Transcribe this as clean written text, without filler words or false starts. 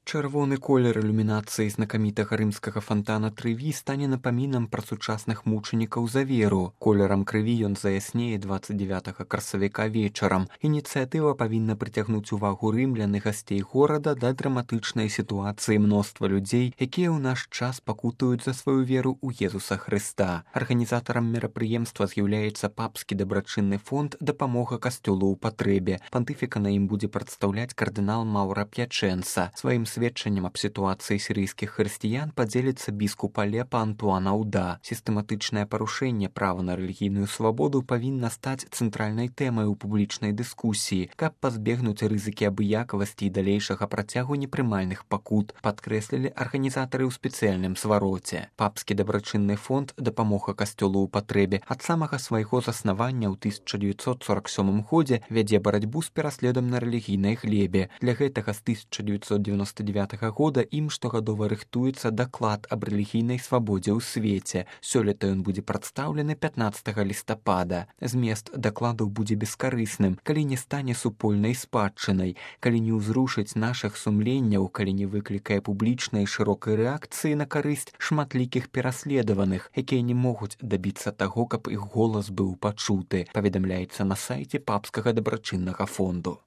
Чырвоны колер ілюмінацыі знакамітага рымскага фантана Трыві стане напамінам пра сучасных мучанікаў за веру. Колерам крыві ён заяснее 29 красавіка вечарам. Ініцыятыва павінна прыцягнуць увагу рымлян і гасцей горада да драматычнай сітуацыі мноства людзей, якія ў наш час пакутуюць за сваю веру ў Езуса Хрыста. Арганізатарам мерапрыемства з'яўляецца папскі дабрачынны фонд «Дапамога касцёлу ў патрэбе». Пантыфіка на ім будзе прадстаўляць кардынал Маўра П'ячэнца. Сваім сведчаннем аб сітуацыі сірыйскіх хрысціян падзеліцца біскуп Алепа Антуан Ауда. Сістэматычнае парушэнне права на рэлігійную свабоду павінна стаць цэнтральнай тэмай у публічнай дыскусіі, каб пазбегнуць рызыкі абыякавасці і далейшага працягу непрымальных пакут, падкрэслілі арганізатары ў спецыяльным свароце. Папскі дабрачынны фонд «Дапамога касцёлу ў патрэбе» ад самага свайго заснавання ў 1947 годзе вядзе барацьбу з пераследам на рэлігійнай глебе. Для гэтага з 1999 года ім штогадова рыхтуецца даклад аб рэлігійнай свабодзе ў свеце. Сёлета ён будзе прадстаўлены 15 лістапада. Змест дакладаў будзе бескарысным, калі не стане супольнай спадчынай, калі не ўзрушыць нашых сумленняў, калі не выклікае публічнай шырокай рэакцыі на карысць шматлікіх пераследаваных, якія не могуць дабіцца таго, каб іх голас быў пачуты, паведамляецца на сайце папскага дабрачыннага фонду.